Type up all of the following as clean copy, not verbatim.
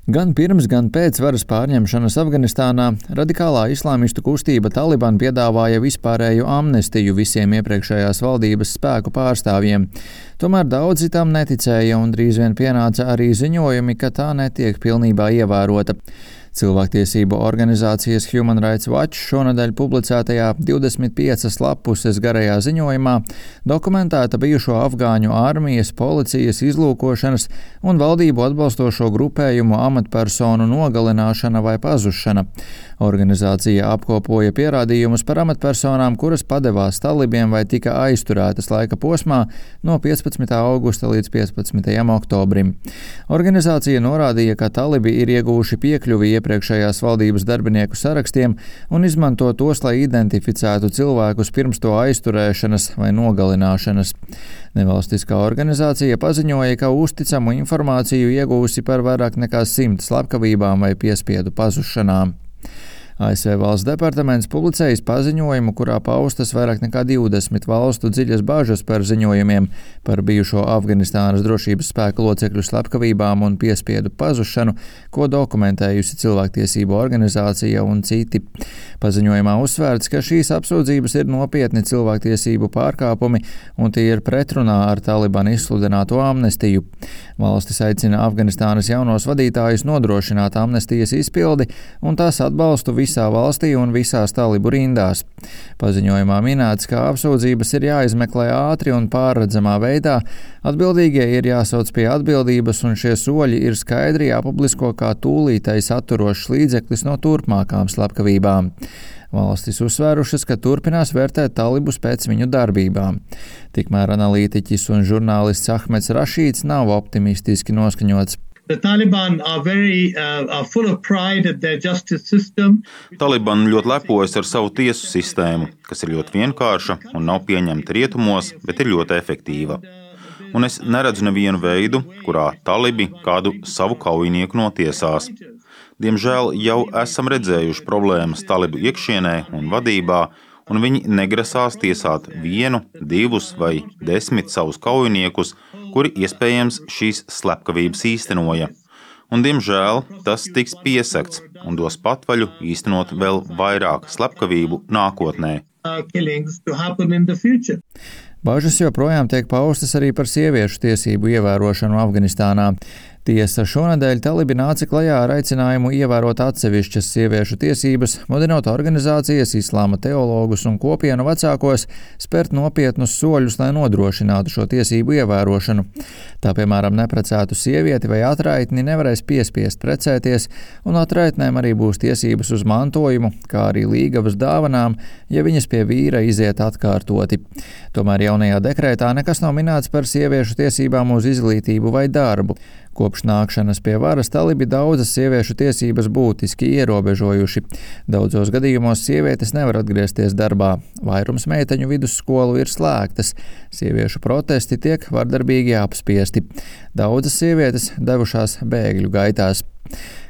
Gan pirms, gan pēc varas pārņemšanas Afganistānā radikālā islāmistu kustība Taliban piedāvāja vispārēju amnestiju visiem iepriekšējās valdības spēku pārstāvjiem. Tomēr daudzi tam neticēja un drīz vien pienāca arī ziņojumi, ka tā netiek pilnībā ievērota. Cilvēktiesību organizācijas Human Rights Watch šonadēļ publicētajā 25 lapuses garajā ziņojumā dokumentēta bijušo afgāņu armijas, policijas, izlūkošanas un valdību atbalstošo grupējumu amatpersonu nogalināšana vai pazušana. Organizācija apkopoja pierādījumus par amatpersonām, kuras padevās talibiem vai tika aizturētas laika posmā no 15. augusta līdz 15. oktobrim. Organizācija norādīja, ka talibi ir ieguvuši piekļuvi iepriekšējās valdības darbinieku sarakstiem un izmanto tos, lai identificētu cilvēkus pirms to aizturēšanas vai nogalināšanas. Nevalstiskā organizācija paziņoja, ka uzticamu informāciju ieguvusi par vairāk nekā 100 slepkavībām vai piespiedu pazušanām. ASV valsts departaments publicējis paziņojumu, kurā paustas vairāk nekā 20 valstu dziļas bažas par ziņojumiem par bijušo Afganistānas drošības spēku locekļu slepkavībām un piespiedu pazušanu, ko dokumentējusi cilvēktiesību organizācija un citi. Paziņojumā uzsvērts, ka šīs apsūdzības ir nopietni cilvēktiesību pārkāpumi un tie ir pretrunā ar Taliban izsludināto amnestiju. Valstis aicina Afganistānas jaunos vadītājus nodrošināt amnestijas izpildi un tās atbalstu visā valstī un visās talibu rindās. Paziņojumā minēts, ka apsūdzības ir jāizmeklē ātri un pārredzamā veidā, atbildīgie ir jāsauc pie atbildības un šie soļi ir skaidri jāpublisko kā tūlītais atturošs līdzeklis no turpmākām slepkavībām. Valstis uzsvērušas, ka turpinās vērtēt talibus pēc viņu darbībām. Tikmēr analītiķis un žurnālists Ahmeds Rašīds nav optimistiski noskaņots. Taliban ļoti lepojas ar savu tiesu sistēmu, kas ir ļoti vienkārša un nav pieņemta rietumos, bet ir ļoti efektīva. Un es neredzu nevienu veidu, kurā talibi kādu savu kaujinieku notiesās. Diemžēl jau esam redzējuši problēmas talibu iekšienē un vadībā, un viņi negrasās tiesāt 1, 2 vai 10 savus kaujiniekus, kuri iespējams šīs slepkavības īstenoja. Un, diemžēl, tas tiks piesakts un dos patvaļu īstenot vēl vairāk slepkavību nākotnē. Bažas joprojām tiek paustas arī par sieviešu tiesību ievērošanu Afganistānā. Tiesa šonadēļ talibi nāca klajā ar aicinājumu ievērot atsevišķas sieviešu tiesības, mudinot organizācijas, islāma teologus un kopienu vecākos spērt nopietnus soļus, lai nodrošinātu šo tiesību ievērošanu. Tā, piemēram, neprecētu sievieti vai atraitni nevarēs piespiest precēties, un atraitnēm arī būs tiesības uz mantojumu, kā arī līgavas dāvanām, ja viņas pie vīra iziet atkārtoti. Tomēr jaunajā dekrētā nekas nav minēts par sieviešu tiesībām uz izglītību vai darbu. Kopš nākšanas pie varas talibi daudzas sieviešu tiesības būtiski ierobežojuši. Daudzos gadījumos sievietes nevar atgriezties darbā. Vairums meiteņu vidusskolu ir slēgtas. Sieviešu protesti tiek vardarbīgi apspiesti. Daudzas sievietes devušās bēgļu gaitās.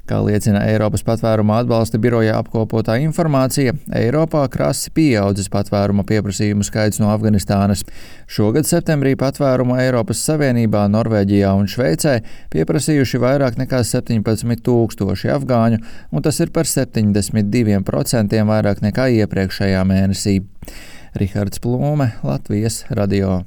Kā liecina Eiropas patvēruma atbalsta biroja apkopotā informācija, Eiropā krasi pieaudzis patvēruma pieprasījumu skaits no Afganistānas. Šogad septembrī patvērumu Eiropas Savienībā, Norvēģijā un Šveicē pieprasījuši vairāk nekā 17 000 afgāņu, un tas ir par 72% vairāk nekā iepriekšējā mēnesī. Rihards Plūme, Latvijas radio.